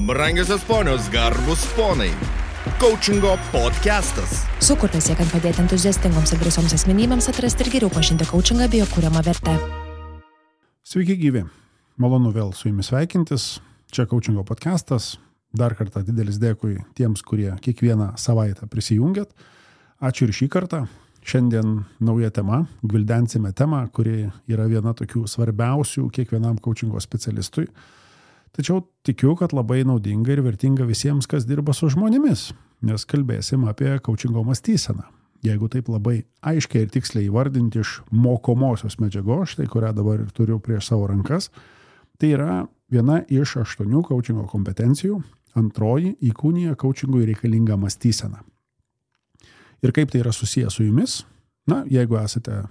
Brangiosios ponios, garbus ponai. Coachingo podcastas. Sukurtas siekiant padėti entuziastingoms ir drąsioms asmenybėms atrasti ir geriau pažinti coachingą bei jo kuriamą vertę. Sveiki gyvi. Malonu vėl su jumis sveikintis. Čia Coachingo podcastas. Dar kartą didelis dėkui tiems, kurie kiekvieną savaitę prisijungiat. Ačiū ir šį kartą. Šiandien nauja tema. Gvildensime temą, kuri yra viena tokių svarbiausių kiekvienam coachingo specialistui. Tačiau tikiu, kad labai naudinga ir vertinga visiems, kas dirba su žmonėmis, nes kalbėsim apie coachingo mąstyseną. Jeigu taip labai aiškiai ir tiksliai įvardinti iš mokomosios medžiagos, štai kurią dabar ir turiu prieš savo rankas, tai yra viena iš 8 coachingo kompetencijų, antroji įkūnija coachingui reikalingą mąstyseną. Ir kaip tai yra susijęs su jumis? Na, jeigu esate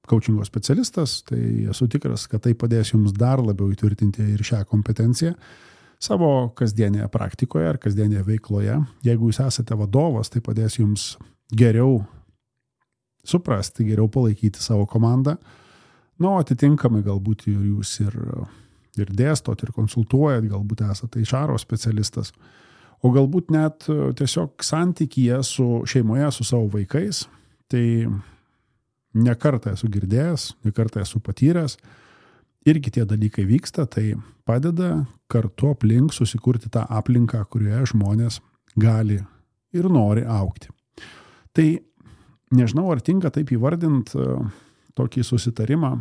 coachingo specialistas, tai esu tikras, kad tai padės jums dar labiau įtvirtinti ir šią kompetenciją savo kasdienėje praktikoje ar kasdienėje veikloje. Jeigu jūs esate vadovas, tai padės jums geriau suprasti, geriau palaikyti savo komandą. Nu, atitinkamai galbūt jūs ir dėstot, ir konsultuojat, galbūt esate HR specialistas, o galbūt net tiesiog santykyje su šeimoje, su savo vaikais. Tai ne kartą esu girdėjęs, ne kartą esu patyręs, irgi tie dalykai vyksta, tai padeda kartu aplink susikurti tą aplinką, kurioje žmonės gali ir nori augti. Tai nežinau, ar tinka taip įvardinti tokį susitarimą,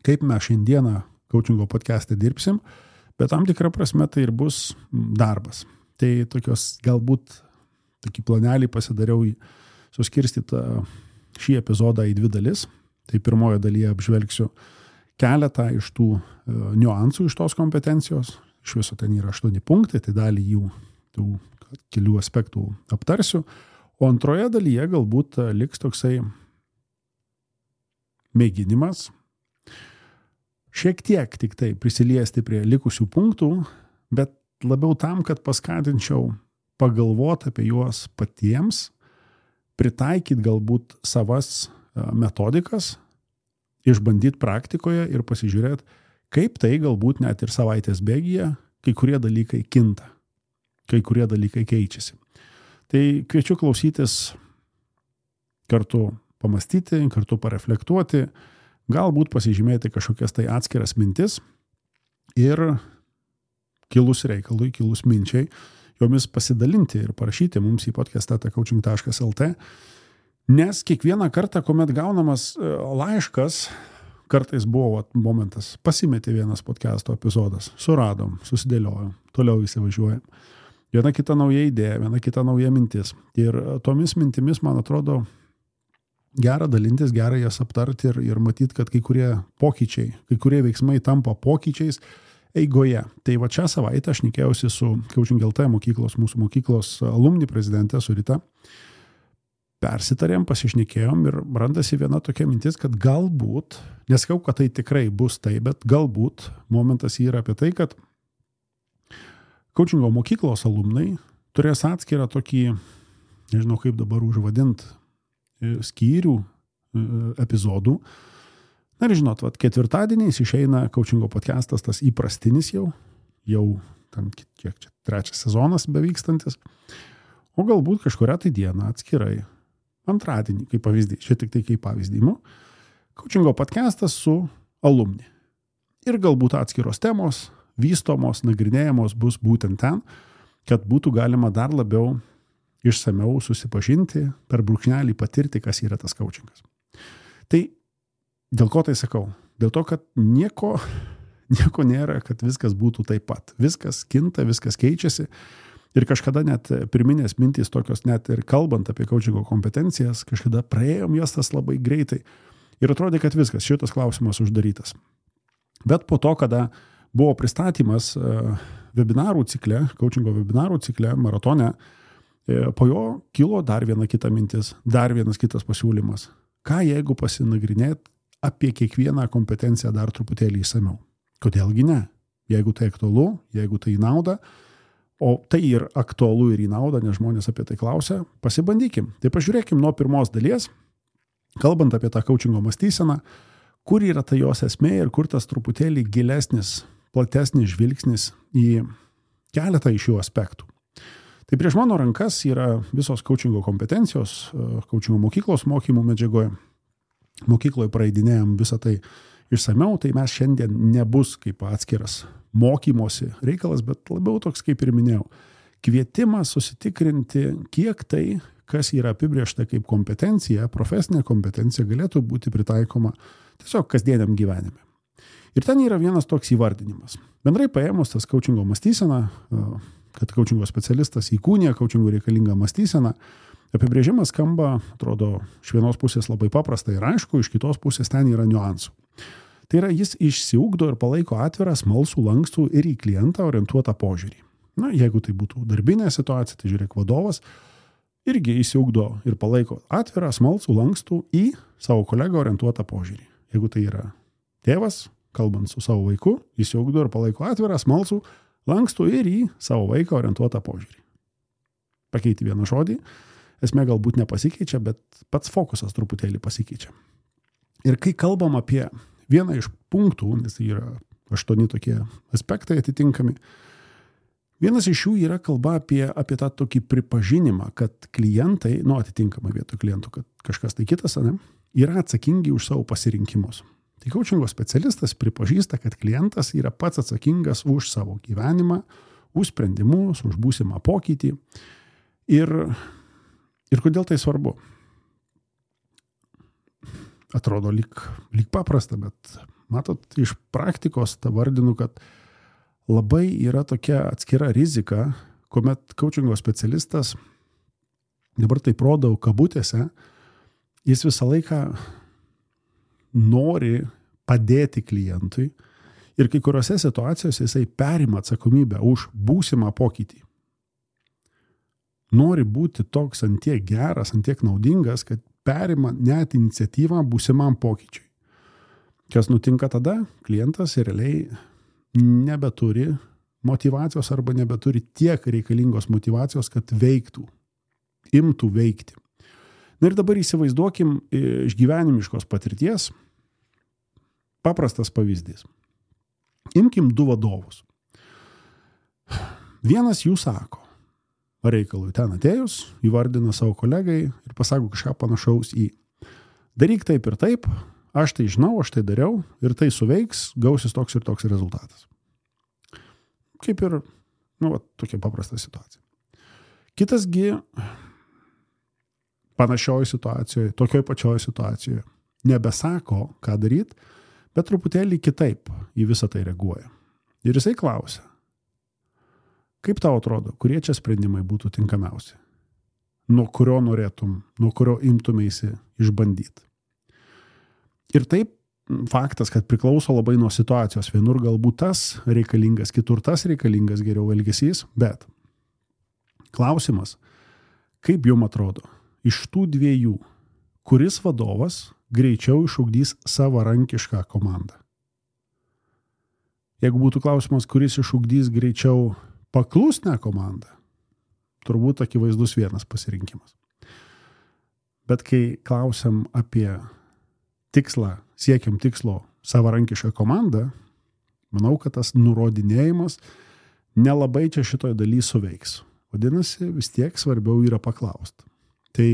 kaip mes šiandieną coachingo podcast'e dirbsim, bet tam tikrą prasme tai ir bus darbas. Tai tokios galbūt tokį planelį pasidariau suskirstytą šį epizodą į 2 dalis. Tai pirmoje dalyje apžvelgsiu keletą iš tų niuansų iš tos kompetencijos. Iš viso ten yra 8 punktai, tai dalį jų tų kelių aspektų aptarsiu. O antroje dalyje galbūt liks toksai mėginimas šiek tiek tik tai prisiliesti prie likusių punktų, bet labiau tam, kad paskatinčiau pagalvoti apie juos patiems, pritaikyti galbūt savas metodikas, išbandyti praktikoje ir pasižiūrėti, kaip tai galbūt net ir savaitės bėgyje kai kurie dalykai kinta, kai kurie dalykai keičiasi. Tai kviečiu klausytis, kartu pamastyti, kartu pareflektuoti, galbūt pasižymėti kažkokias tai atskiras mintis ir kilus reikalui, kilus minčiai, jomis pasidalinti ir parašyti mums į podcast@coaching.lt, nes kiekvieną kartą, kuomet gaunamas laiškas, kartais buvo momentas, pasimetė vienas podcast'o epizodas, suradom, susidėliojom, toliau įsivažiuojam. Viena kita nauja idėja, viena kita nauja mintis. Ir tomis mintimis, man atrodo, gera dalintis, gera jas aptarti ir matyti, kad kai kurie pokyčiai, kai kurie veiksmai tampa pokyčiais eigoje. Tai va šią savaitę aš šnekėjausi su Coaching.lt mokyklos, mūsų mokyklos alumni prezidente, su Rita. Persitarėm, pasišnekėjom ir randasi viena tokia mintis, kad galbūt, nesakau, kad tai tikrai bus tai, bet galbūt momentas yra apie tai, kad Coachingo mokyklos alumnai turės atskirą tokį, nežinau kaip dabar užvadint, skyrių epizodų. Na ir žinot, ketvirtadieniais išeina coachingo podcastas, tas įprastinis jau tam kiek čia 3 sezonas bevykstantis, o galbūt kažkurią tai dieną atskirai, antradienį, kaip pavyzdį, čia tik tai kaip pavyzdį, coachingo podcastas su alumni. Ir galbūt atskiros temos, vystomos, nagrinėjamos bus būtent ten, kad būtų galima dar labiau išsamiau susipažinti, per brūkšnelį patirti, kas yra tas coachingas. Tai dėl ko tai sakau? Dėl to, kad nieko nėra, kad viskas būtų taip pat. Viskas kinta, viskas keičiasi. Ir kažkada net pirminės mintys tokios, net ir kalbant apie coachingo kompetencijas, kažkada praėjom jas tas labai greitai. Ir atrodė, kad viskas, šitas klausimas uždarytas. Bet po to, kada buvo pristatymas webinarų cikle, coachingo webinarų cikle, maratone, po jo kilo dar viena kita mintis, dar vienas kitas pasiūlymas. Ką jeigu pasinagrinėt apie kiekvieną kompetenciją dar truputėlį įsamiau? Kodėlgi ne? Jeigu tai aktualu, jeigu tai į naudą, o tai ir aktualu ir į naudą, nes žmonės apie tai klausia, pasibandykim. Tai pažiūrėkim nuo pirmos dalies, kalbant apie tą coachingo mąstyseną, kur yra ta jos esmė ir kur tas truputėlį gilesnis, platesnis žvilgsnis į keletą iš šių aspektų. Tai prieš mano rankas yra visos coachingo kompetencijos, coachingo mokyklos mokymų medžiagoje. Mokykloje praeidinėjom visą tai išsamiau, tai mes šiandien nebus kaip atskiras mokymosi reikalas, bet labiau toks, kaip ir minėjau, kvietimas susitikrinti, kiek tai, kas yra apibrėžta kaip kompetencija, profesinė kompetencija, galėtų būti pritaikoma tiesiog kasdieniam gyvenime. Ir ten yra vienas toks įvardinimas. Bendrai paėmus tas coachingo mąstysena, kad coachingo specialistas įkūnija coachingo reikalingą mąstyseną, apibrėžimas skamba, atrodo, iš vienos pusės labai paprasta ir aišku, iš kitos pusės ten yra niuansų. Tai yra, jis išsiugdo ir palaiko atvirą, smalsų, lankstų ir į klientą orientuotą požiūrį. Na, jeigu tai būtų darbinė situacija, tai žiūrėk, vadovas irgi išsiugdo ir palaiko atvirą, smalsų, lankstų į savo kolegą orientuotą požiūrį. Jeigu tai yra tėvas, kalbant su savo vaiku, išsiugdo ir palaiko atvirą, smalsų, lankstų ir į savo vaiką orientuotą požiūrį. Pakeiti vieną žodį, esmė galbūt nepasikeičia, bet pats fokusas truputėlį pasikeičia. Ir kai kalbam apie vieną iš punktų, nes tai yra 8 tokie aspektai atitinkami, vienas iš jų yra kalba apie tą tokį pripažinimą, kad klientai, atitinkamai vietoj klientų, kad kažkas tai kitas, yra atsakingi už savo pasirinkimus. Tai coachingo specialistas pripažįsta, kad klientas yra pats atsakingas už savo gyvenimą, už sprendimus, už būsimą pokytį. Ir kodėl tai svarbu? Atrodo lyg paprasta, bet matot, iš praktikos tą vardinu, kad labai yra tokia atskira rizika, kuomet coachingo specialistas, dabar taip rodau kabutėse, jis visą laiką nori padėti klientui ir kai kuriuose situacijose jisai perima atsakomybę už būsimą pokytį. Nori būti toks antiek geras, antiek naudingas, kad perima net iniciatyvą būsimam pokyčiui. Kas nutinka tada? Klientas realiai nebeturi motyvacijos arba nebeturi tiek reikalingos motyvacijos, kad veiktų, imtų veikti. Na ir dabar įsivaizduokim iš gyvenimiškos patirties paprastas pavyzdys. Imkim 2 vadovus. Vienas jų sako, reikalui ten atėjus, įvardina savo kolegai ir pasako kažką panašaus į daryk taip ir taip, aš tai žinau, aš tai dariau ir tai suveiks, gausis toks ir toks rezultatas. Kaip ir, tokia paprasta situacija. Kitasgi panašioje situacijoje, tokioj pačioj situacijoje nebesako, ką daryti, bet truputėlį kitaip į visą tai reaguoja. Ir jisai klausia, kaip tau atrodo, kurie čia sprendimai būtų tinkamiausi? Nuo kurio norėtum, nuo kurio imtumėsi išbandyti? Ir taip faktas, kad priklauso labai nuo situacijos. Vienur galbūt tas reikalingas, kitur tas reikalingas geriau elgesys, bet klausimas, kaip jums atrodo, iš tų 2, kuris vadovas greičiau išugdys savarankišką komandą? Jeigu būtų klausimas, kuris išugdys greičiau paklusnę komandą, turbūt akivaizdus vienas pasirinkimas. Bet kai klausiam apie tikslą, siekiam tikslo savarankišką komandą, manau, kad tas nurodinėjimas nelabai čia šitoje dalyje suveiks. Vadinasi, vis tiek svarbiau yra paklausti. Tai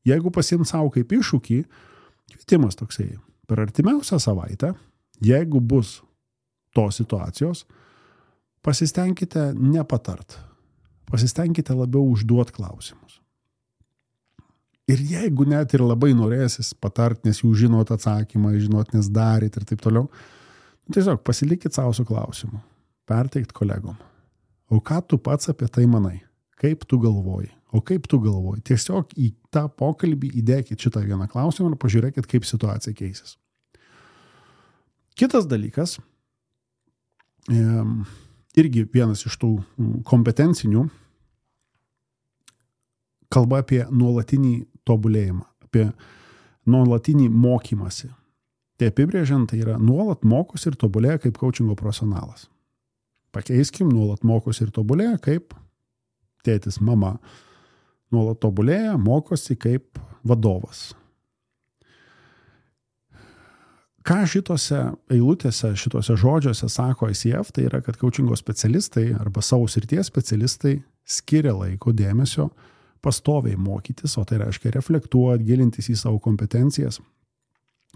jeigu pasiimt savo kaip iššūkį, kvietimas toksai, per artimiausią savaitę, jeigu bus tos situacijos, pasistengkite nepatart, pasistengkite labiau užduoti klausimus. Ir jeigu net ir labai norėsis patart, nes jūs žinot atsakymą, žinot, nes daryt ir taip toliau, tiesiog pasilikit savo su klausimu, perteikt kolegom. O ką tu pats apie tai manai? Kaip tu galvoji? O kaip tu galvoji? Tiesiog į tą pokalbį įdėkit šitą vieną klausimą ir pažiūrėkit, kaip situacija keisis. Kitas dalykas, irgi vienas iš tų kompetencinių, kalba apie nuolatinį tobulėjimą, apie nuolatinį mokymąsi. Tai apibrėžiant, tai yra nuolat mokosi ir tobulėja kaip coachingo profesionalas. Pakeiskim, nuolat mokosi ir tobulėja kaip tėtis, mama. Nuolat tobulėja, mokosi kaip vadovas. ką šitose eilutėse, šitose žodžiuose sako ICF, tai yra, kad coachingo specialistai arba savo srities specialistai skiria laiko dėmesio pastoviai mokytis, o tai reiškia reflektuoti, gilintis į savo kompetencijas.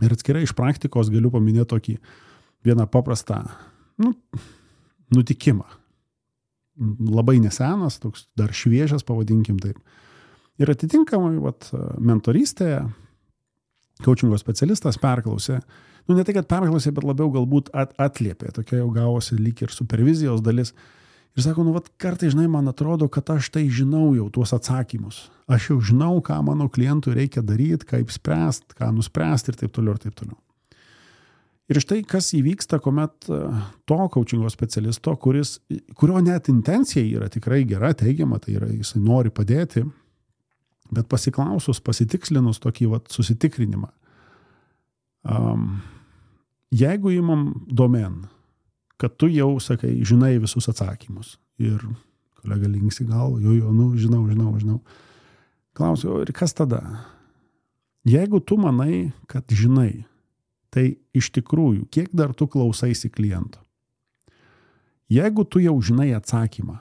Ir atskirai iš praktikos galiu paminėti tokį vieną paprastą nutikimą. Labai nesenas, toks dar šviežias, pavadinkim taip. Ir atitinkamai mentorystėje coachingo specialistas perklausė, ne tai, kad perklausė, bet labiau galbūt atliepė, tokia jau gavosi lyg ir supervizijos dalis. Ir sako, kartai, žinai, man atrodo, kad aš tai žinau jau tuos atsakymus. Aš jau žinau, ką mano klientui reikia daryti, kaip spręsti, ką nuspręsti ir taip toliau, ir taip toliau. Ir štai, kas įvyksta, kuomet to coachingo specialisto, kurio net intencija yra tikrai gera, teigiama, tai yra, jisai nori padėti, bet pasiklausus, pasitikslinus tokį susitikrinimą. Jeigu įmam domen, kad tu jau, sakai, žinai visus atsakymus ir kolega linksi galvą, žinau. Klausiu, ir kas tada? Jeigu tu manai, kad žinai, tai iš tikrųjų, kiek dar tu klausaisi kliento? Jeigu tu jau žinai atsakymą,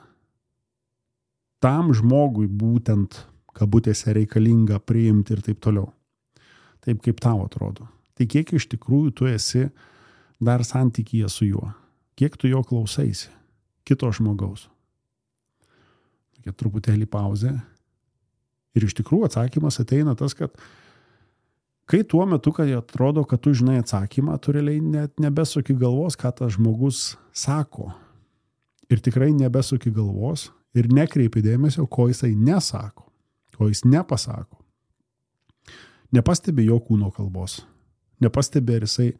tam žmogui būtent kabutėse reikalinga priimti ir taip toliau, taip kaip tau atrodo, tai kiek iš tikrųjų tu esi dar santykyje su juo? Kiek tu jo klausaisi? Kito žmogaus? Tokia truputėlį pauzė. Ir iš tikrųjų atsakymas ateina tas, kad kai tuo metu, kai atrodo, kad tu žinai atsakymą, tu realiai net nebesuki galvos, ką tas žmogus sako. Ir tikrai nebesuki galvos ir nekreipi dėmesio, ko jisai nesako, ko jis nepasako. Nepastebi jo kūno kalbos. Nepastebi, ar jisai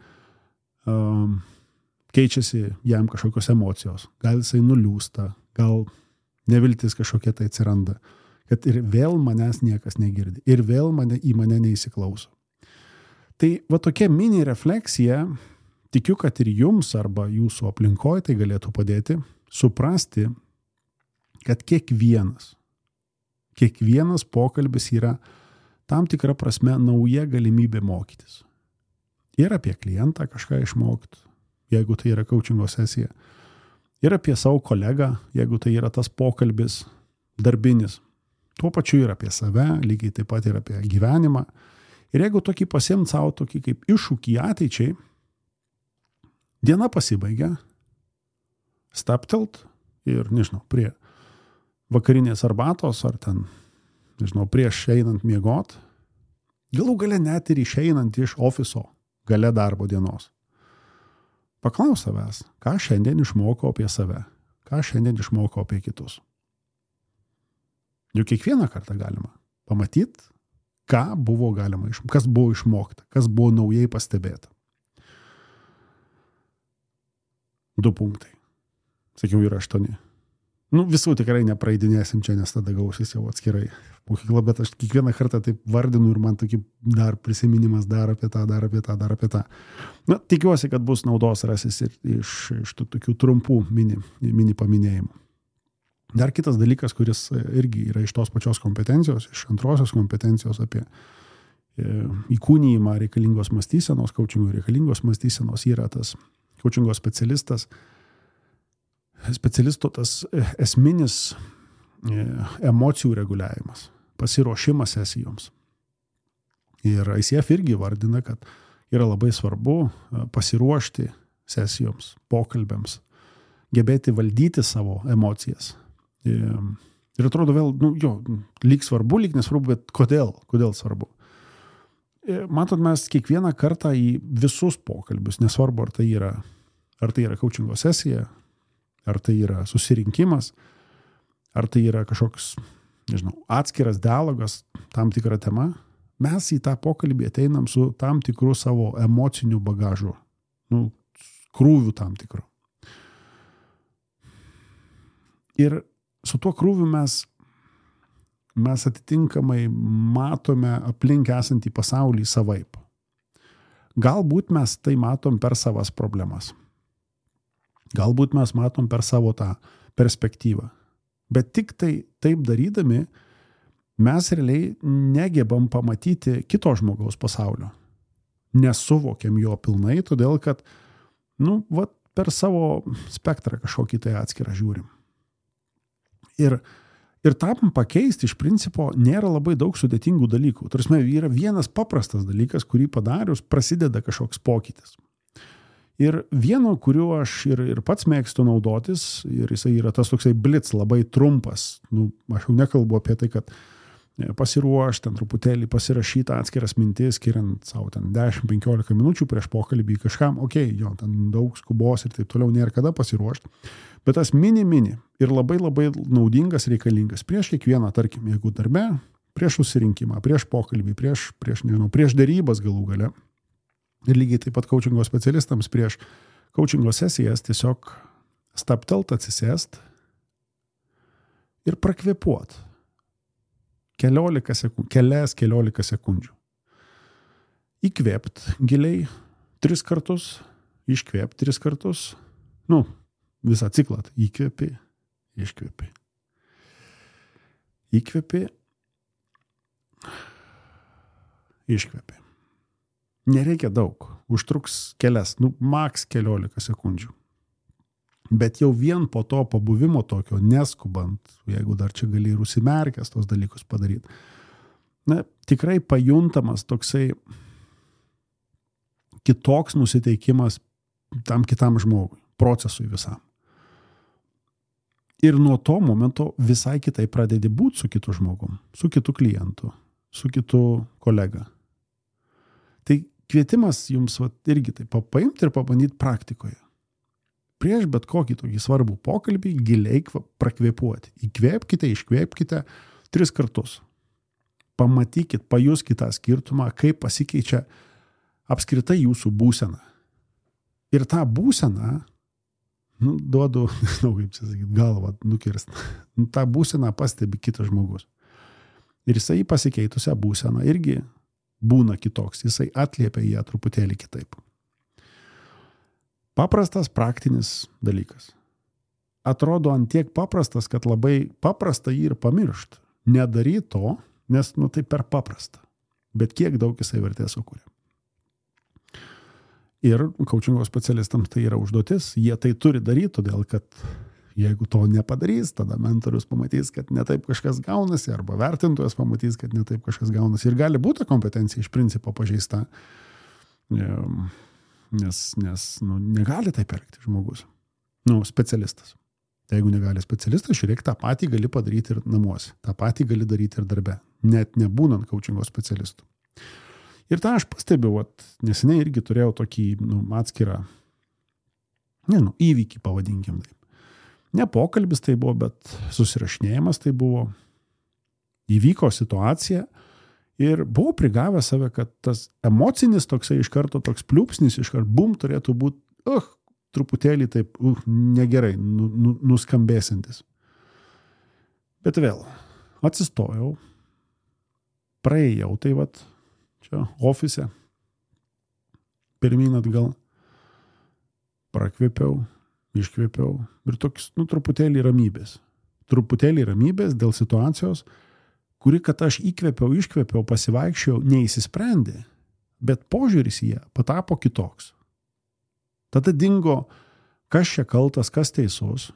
keičiasi jam kažkokios emocijos. Gal jisai nuliūsta, gal neviltis kažkokia tai atsiranda. Kad ir vėl manęs niekas negirdi. Ir vėl į mane neįsiklauso. Tai tokia mini refleksija, tikiu, kad ir jums arba jūsų aplinkoje tai galėtų padėti suprasti, kad kiekvienas pokalbis yra tam tikra prasme nauja galimybė mokytis. Ir apie klientą kažką išmokti, jeigu tai yra coachingo sesija. Ir apie savo kolegą, jeigu tai yra tas pokalbis darbinis. Tuo pačiu ir apie save, lygiai taip pat ir apie gyvenimą. Ir jeigu tokį pasiimt savo tokį kaip iššūkį ateičiai, diena pasibaigia, staptelt ir, prie vakarinės arbatos ar ten, prieš einant miegot, galų gale net ir išeinant iš ofiso gale darbo dienos. Paklaus savęs, ką šiandien išmokau apie save, ką šiandien išmokau apie kitus. Juk kiekvieną kartą galima pamatyti, ką buvo galima kas buvo išmokta, kas buvo naujai pastebėta. 2 punktai. Sakiau, yra 8. Visų tikrai nepraeidinėsim čia, nes tada gausis jau atskirai mokykla, bet aš kiekvieną kartą taip vardinu ir man tokį dar prisiminimas dar apie tą. Tikiuosi, kad bus naudos rasis ir iš tų tokių trumpų mini paminėjimų. Dar kitas dalykas, kuris irgi yra iš tos pačios kompetencijos, iš antrosios kompetencijos apie įkūnijimą reikalingos mąstysenos, coachingo reikalingos mąstysenos, yra tas coachingo specialisto tas esminis emocijų reguliavimas, pasiruošimas sesijoms. Ir ICF irgi vardina, kad yra labai svarbu pasiruošti sesijoms, pokalbėms, gebėti valdyti savo emocijas. Ir atrodo vėl, lyg svarbu, lyg nesvarbu, bet kodėl svarbu? Matot, mes kiekvieną kartą į visus pokalbius, nesvarbu, ar tai yra coachingo sesija, ar tai yra susirinkimas, ar tai yra kažkoks, atskiras dialogas, tam tikra tema, mes į tą pokalbį ateinam su tam tikru savo emociniu bagažu, krūviu tam tikru. Ir su tuo krūviu mes atitinkamai matome aplink esantį pasaulį savaip. Galbūt mes tai matom per savas problemas. Galbūt mes matom per savo tą perspektyvą. Bet tik tai taip darydami mes realiai negebam pamatyti kito žmogaus pasaulio. nesuvokiam jo pilnai, todėl kad, per savo spektrą kažkokį tai atskirą žiūrim. Ir tam pakeisti iš principo nėra labai daug sudėtingų dalykų. Tarsi yra vienas paprastas dalykas, kurį padarius prasideda kažkoks pokytis. Ir vieno, kuriuo aš ir pats mėgstu naudotis, ir jisai yra tas toksai blitz, labai trumpas. Aš jau nekalbu apie tai, kad pasiruošti, ten truputėlį pasirašyti atskiras mintis, skiriant savo ten 10-15 minučių prieš pokalbį kažkam, ten daug skubos ir taip toliau nėra kada pasiruošti. Bet tas mini ir labai labai naudingas, reikalingas prieš kiekvieną, tarkim, jeigu darbe, prieš susirinkimą, prieš pokalbį, prieš derybas galų gale. Ir lygiai taip pat coachingo specialistams prieš coachingo sesijas tiesiog stabtelt, atsisėst ir prakvėpuot. Keliolika sekundžių. Įkvėpt giliai 3 kartus, iškvėpt 3 kartus, visą ciklą. Įkvėpi, iškvėpi. Įkvėpi, iškvėpi. Nereikia daug, užtruks maks 14 sekundžių. Bet jau vien po to pabuvimo tokio, neskubant, jeigu dar čia gali ir užsimerkęs tos dalykus padaryti, tikrai pajuntamas toksai kitoks nusiteikimas tam kitam žmogui, procesui visam. Ir nuo to momento visai kitai pradedi būti su kitu žmogum, su kitu klientu, su kitu kolega. Tai kvietimas jums irgi tai paimti ir pabandyti praktikoje. Prieš bet kokį tokį svarbų pokalbį giliai prakvėpuoti. Įkvėpkite, iškvėpkite 3 kartus. Pamatykit, pajuskite tą skirtumą, kaip pasikeičia apskritai jūsų būsena. Ir tą būseną, duodu, kaip čia sakyti, galvą nukirst, tą būseną pastebi kitas žmogus. Ir jisai pasikeitusią būseną irgi būna kitoks, jisai atliepia ją truputėlį kitaip. Paprastas praktinis dalykas. Atrodo ant tiek paprastas, kad labai paprasta jį ir pamiršt. Nedaryt to, nes tai per paprasta. Bet kiek daug jisai vertės sukuria. Ir coachingo specialistams tai yra užduotis. Jie tai turi daryti, todėl kad jeigu to nepadarys, tada mentorius pamatys, kad ne taip kažkas gaunasi, arba vertintojas pamatys, kad ne taip kažkas gaunasi. Ir gali būti kompetencija iš principo pažeista. Nes negali taip elgti žmogus. Specialistas. Tai jeigu negali specialistas, žiūrėk, tą patį gali padaryti ir namuose. Tą patį gali daryti ir darbe. Net nebūnant coachingo specialistų. Ir tą aš pastebiu, neseniai irgi turėjau tokį atskirą įvykį, pavadinkim taip. Ne pokalbis tai buvo, bet susirašinėjimas tai buvo. Įvyko situacija. Ir buvau prigavęs save, kad tas emocinis toksai iš karto toks pliūpsnis, iš karto bum turėtų būti truputėlį taip negerai, nuskambėsintis. Bet vėl, atsistojau, praėjau tai čia ofise, pirmyn atgal, prakvėpiau, iškvėpiau ir toks, truputėlį ramybės. Truputėlį ramybės dėl situacijos, kuri, kad aš įkvėpiau, iškvėpiau, pasivaikščiau, neįsisprendė, bet požiūris į ją patapo kitoks. Tada dingo, kas čia kaltas, kas teisus.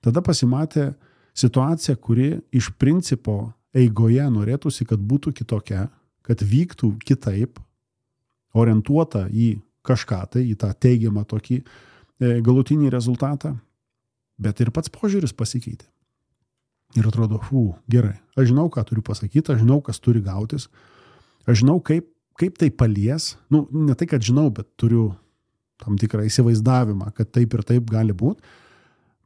Tada pasimatė situacija, kuri iš principo eigoje norėtųsi, kad būtų kitokia, kad vyktų kitaip, orientuota į kažką tai, į tą teigiamą tokį galutinį rezultatą, bet ir pats požiūris pasikeitė. Ir atrodo, gerai, aš žinau, ką turiu pasakyti, aš žinau, kas turi gautis, aš žinau, kaip tai palies, ne tai, kad žinau, bet turiu tam tikrą įsivaizdavimą, kad taip ir taip gali būti,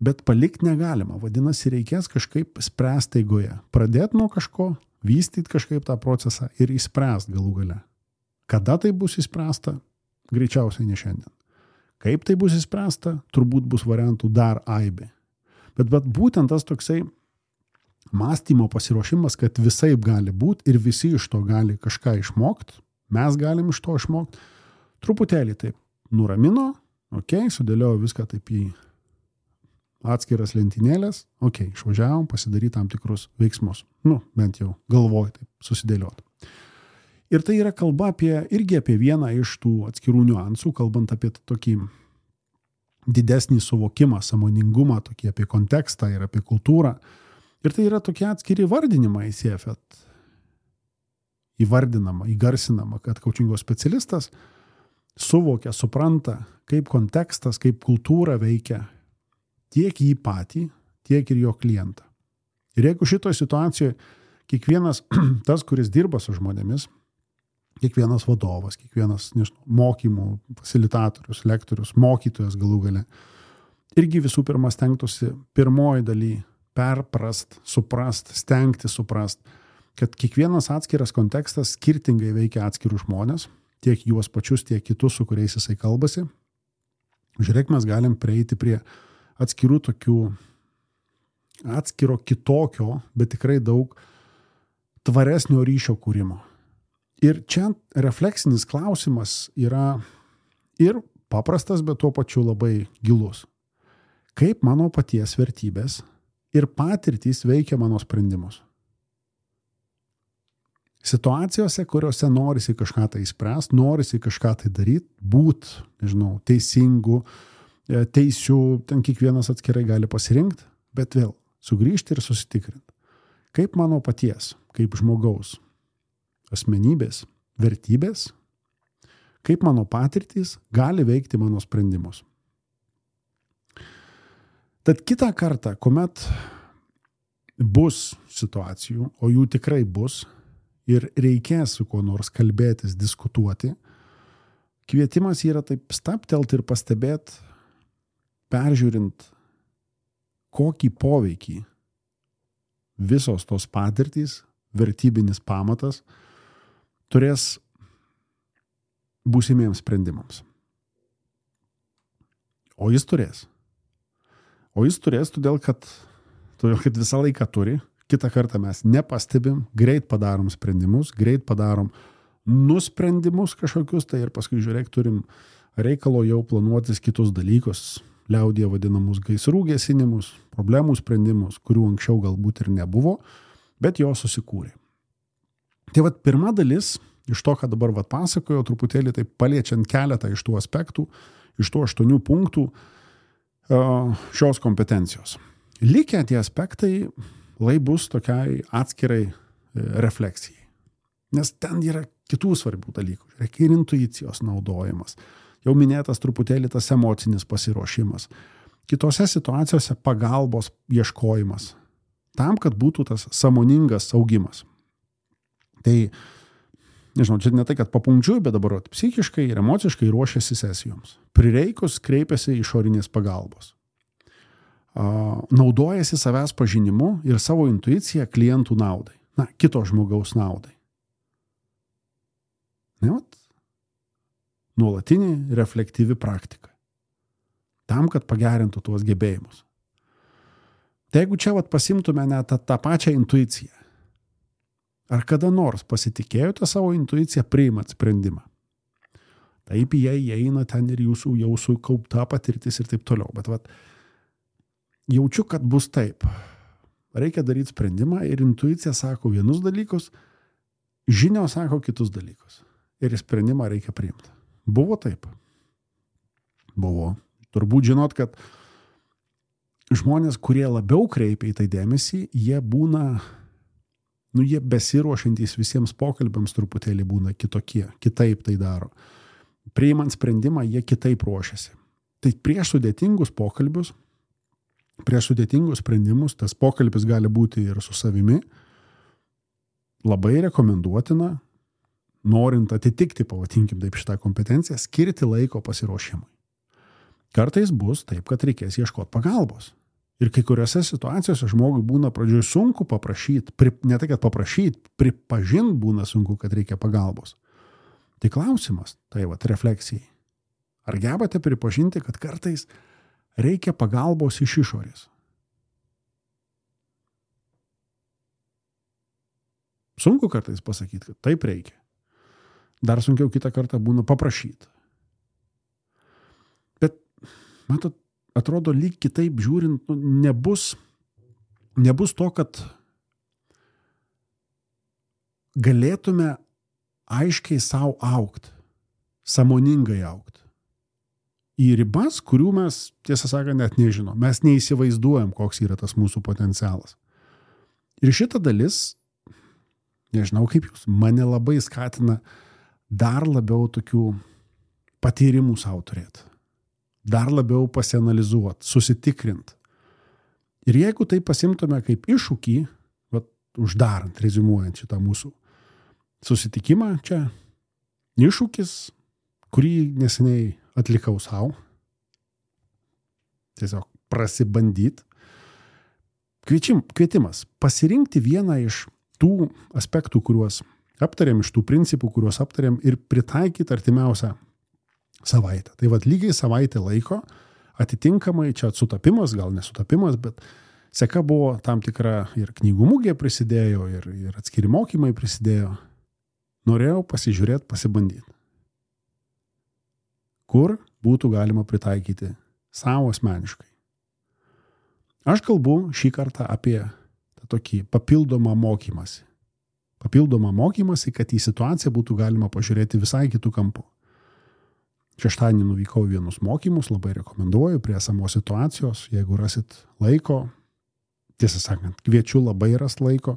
bet palikti negalima, vadinasi, reikės kažkaip spręsti eigoje, pradėti nuo kažko, vystyti kažkaip tą procesą ir įspręsti galų gale. Kada tai bus įspręsta? Greičiausiai ne šiandien. Kaip tai bus įspręsta? Turbūt bus variantų dar aibė. Bet būtent tas toksai mąstymo pasiruošimas, kad visaip gali būti ir visi iš to gali kažką išmokti, mes galim iš to išmokti, truputėlį taip nuramino, sudėliojo viską taip į atskiras lentynėlės, išvažiavom pasidaryti tam tikrus veiksmus. Bent jau galvoj taip susidėlioti. Ir tai yra kalba irgi apie vieną iš tų atskirų niuansų, kalbant apie tokį didesnį suvokimą, sąmoningumą, tokį apie kontekstą ir apie kultūrą. Ir tai yra tokie atskiri vardinimai CFET. Įgarsinama, kad coachingo specialistas suvokia, supranta, kaip kontekstas, kaip kultūra veikia tiek jį patį, tiek ir jo klientą. Ir jeigu šitoje situacijoje kiekvienas tas, kuris dirba su žmonėmis, kiekvienas vadovas, kiekvienas mokymų fasilitatorius, lektorius, mokytojas galų gale, irgi visų pirma stengtųsi pirmoji daly perprast, suprast, stengti suprast, kad kiekvienas atskiras kontekstas skirtingai veikia atskirus žmonės, tiek juos pačius, tiek kitus, su kuriais jisai kalbasi. Žiūrėk, mes galim prieiti prie atskirų tokių, atskiro kitokio, bet tikrai daug tvaresnio ryšio kūrimo. Ir čia refleksinis klausimas yra ir paprastas, bet tuo pačiu labai gilus. Kaip mano paties vertybės ir patirtys veikia mano sprendimus? Situacijose, kuriuose norisi kažką tai spręsti, norisi kažką tai daryti, būt, teisingu, teisių, ten kiekvienas atskirai gali pasirinkti, bet vėl sugrįžti ir susitikrinti. Kaip mano paties, kaip žmogaus asmenybės, vertybės, kaip mano patirtys gali veikti mano sprendimus. Tad kitą kartą, kuomet bus situacijų, o jų tikrai bus, ir reikės su kuo nors kalbėtis, diskutuoti, kvietimas yra taip stabtelt ir pastebėti, peržiūrint, kokį poveikį visos tos patirtys, vertybinis pamatas, turės būsimiems sprendimams. O jis turės. Todėl, kad visą laiką turi. Kitą kartą mes nepastebim, greit padarom sprendimus, greit padarom nusprendimus kažkokius, tai ir paskui žiūrėk, turim reikalo jau planuotis kitus dalykus, liaudyje vadinamus gaisrų gesinimus, problemų sprendimus, kurių anksčiau galbūt ir nebuvo, bet jo susikūrė. Tai vat pirma dalis, iš to, ką dabar pasakojo, truputėlį taip paliečiant keletą iš tų aspektų, iš tų 8 punktų šios kompetencijos. Likę tie aspektai bus tokiai atskirai refleksijai. Nes ten yra kitų svarbių dalykų. Reikia ir intuicijos naudojimas. Jau minėtas truputėlį tas emocinis pasiruošimas. Kitose situacijose pagalbos ieškojimas. Tam, kad būtų tas sąmoningas augimas. Tai, čia ne tai, kad papunkčiui, bet dabar psichiškai ir emociškai ruošiasi sesijoms. Prireikus kreipiasi išorinės pagalbos. Naudojasi savęs pažinimu ir savo intuiciją klientų naudai. Kito žmogaus naudai. Nuolatinė reflektyvi praktika. Tam, kad pagerintų tuos gebėjimus. Tai jeigu čia pasimtume net tą pačią intuiciją, ar kada nors pasitikėjote savo intuiciją priimat sprendimą? Taip, jie įeina ten ir jūsų jau sukaupta patirtis ir taip toliau. Bet jaučiu, kad bus taip. Reikia daryti sprendimą ir intuicija sako vienus dalykus, žinios sako kitus dalykus. Ir sprendimą reikia priimti. Buvo taip? Buvo. Turbūt žinot, kad žmonės, kurie labiau kreipia į tai dėmesį, jie būna, jie besiruošiantys visiems pokalbiams truputėlį būna kitokie, kitaip tai daro. Priimant sprendimą, jie kitaip ruošiasi. Tai prieš sudėtingus pokalbius, prieš sudėtingus sprendimus, tas pokalbis gali būti ir su savimi, labai rekomenduotina, norint atitikti, pavadinkim taip šitą kompetenciją, skirti laiko pasiruošimui. Kartais bus taip, kad reikės ieškoti pagalbos. Ir kai kuriuose situacijose žmogui būna pradžioje sunku paprašyti, ne tai, kad paprašyti, pripažinti būna sunku, kad reikia pagalbos. Tai klausimas, refleksijai. Ar gebate pripažinti, kad kartais reikia pagalbos iš išorės? Sunku kartais pasakyti, kad taip reikia. Dar sunkiau kitą kartą būna paprašyti. Bet, matot, atrodo, lyg kitaip žiūrint, nebus to, kad galėtume aiškiai savo augt, sąmoningai augt. Į ribas, kurių mes, tiesą sakant, net nežinom. Mes neįsivaizduojam, koks yra tas mūsų potencialas. Ir šita dalis, nežinau kaip jūs, mane labai skatina dar labiau tokių patyrimų savo turėti. Dar labiau pasianalizuoti, susitikrint. Ir jeigu tai pasimtume kaip iššūkį, uždarant, reziumuojant šitą mūsų susitikimą čia, iššūkis, kurį neseniai atlikau savo, tiesiog prasibandyti. Kvietimas pasirinkti vieną iš tų aspektų, kuriuos aptarėm, iš tų principų, kuriuos aptarėm ir pritaikyti artimiausią savaitę. Tai lygiai savaitę laiko, atitinkamai čia sutapimas, gal nesutapimas, bet seka buvo tam tikra ir knygų mugė prisidėjo, ir atskiri mokymai prisidėjo. Norėjau pasižiūrėti, pasibandyti. Kur būtų galima pritaikyti savo asmeniškai. Aš kalbu šį kartą apie tokį papildomą mokymąsi. Papildomą mokymąsi, kad į situaciją būtų galima pažiūrėti visai kitų kampų. Šeštadienį nuvykau vienus mokymus, labai rekomenduoju prie esamos situacijos, jeigu rasit laiko, tiesą sakant, kviečiu labai rast laiko,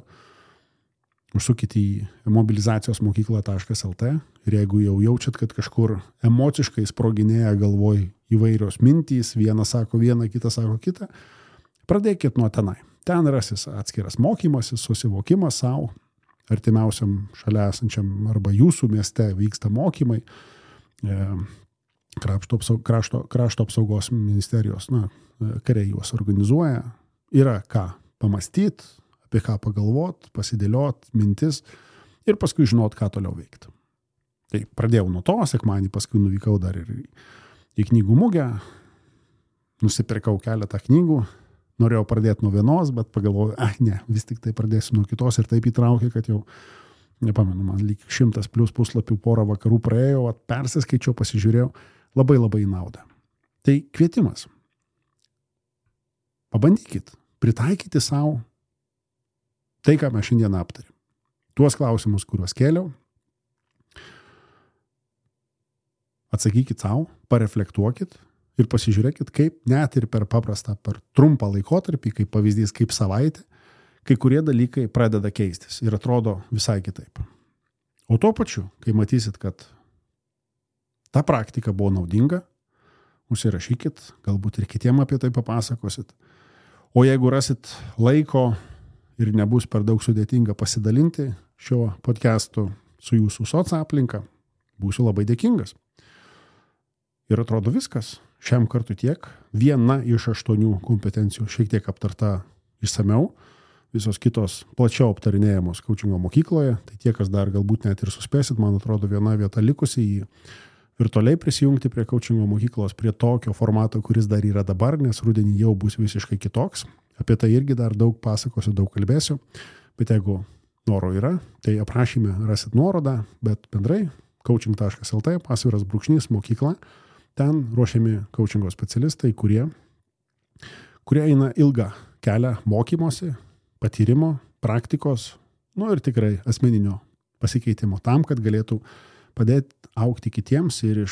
užsukite į mobilizacijosmokykla.lt ir jeigu jau jaučiat, kad kažkur emociškai sproginėja galvoj įvairios mintys, vienas sako vieną, kitas sako kitą, pradėkit nuo tenai. Ten rasis atskiras mokymasis, susivokimas savo, artimiausiam šalia esančiam arba jūsų mieste vyksta mokymai, krašto apsaugos ministerijos, kariai juos organizuoja, yra ką pamastyti, apie ką pagalvot, pasidėliot mintis ir paskui žinot, ką toliau veikti. Tai pradėjau nuo to, sekmadienį paskui nuvykau dar ir į knygų mugę, nusipirkau keletą knygų, norėjau pradėti nuo vienos, bet pagalvojau, vis tik tai pradėsiu nuo kitos ir taip įtraukė, kad jau, nepamenu, man lyg 100+ puslapių porą vakarų praėjo, persiskaičiau, pasižiūrėjau, labai į naudą. Tai kvietimas. Pabandykit, pritaikyti savo tai, ką mes šiandien aptarėm. Tuos klausimus, kuriuos kėliau, atsakykit savo, pareflektuokit ir pasižiūrėkit, kaip net ir per paprastą, per trumpą laikotarpį, kaip pavyzdys, kaip savaitę, kai kurie dalykai pradeda keistis ir atrodo visai kitaip. O tuo pačiu, kai matysit, kad ta praktika buvo naudinga, užsirašykit, galbūt ir kitiem apie tai papasakosit. O jeigu rasit laiko ir nebus per daug sudėtinga pasidalinti šiuo podcastu su jūsų soc-aplinka, būsiu labai dėkingas. Ir atrodo viskas. Šiam kartu tiek. Viena iš 8 kompetencijų šiek tiek aptarta išsamiau. Visos kitos plačiau aptarinėjamos Coachingo mokykloje. Tai tie, kas dar galbūt net ir suspėsit, man atrodo viena vieta likusi į virtualiai prisijungti prie Coachingo mokyklos, prie tokio formato, kuris dar yra dabar, nes rudenį jau bus visiškai kitoks. Apie tai irgi dar daug pasakosiu, daug kalbėsiu. Bet jeigu noro yra, tai aprašyme rasit nuorodą, bet bendrai coaching.lt /mokykla. Ten ruošiami coachingo specialistai, kurie eina ilgą kelią mokymosi, patyrimo, praktikos, ir tikrai asmeninio pasikeitimo tam, kad galėtų padėti augti kitiems ir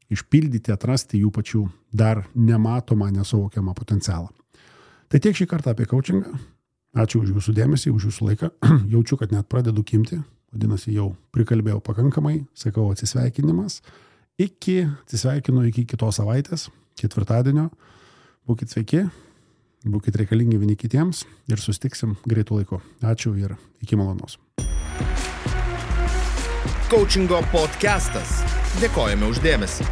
išpildyti, atrasti jų pačių dar nematomą, nesuvokiamą potencialą. Tai tiek šį kartą apie coachingą. Ačiū už jūsų dėmesį, už jūsų laiką. Jaučiu, kad net pradedu kimti. Vadinasi, jau prikalbėjau pakankamai. Sakau atsisveikinimas. Atsisveikinu iki kitos savaitės, ketvirtadienio. Būkit sveiki, būkit reikalingi vieni kitiems ir susitiksim greitų laiku. Ačiū ir iki malonaus. Coachingo podcastas. Dėkojame už dėmesį.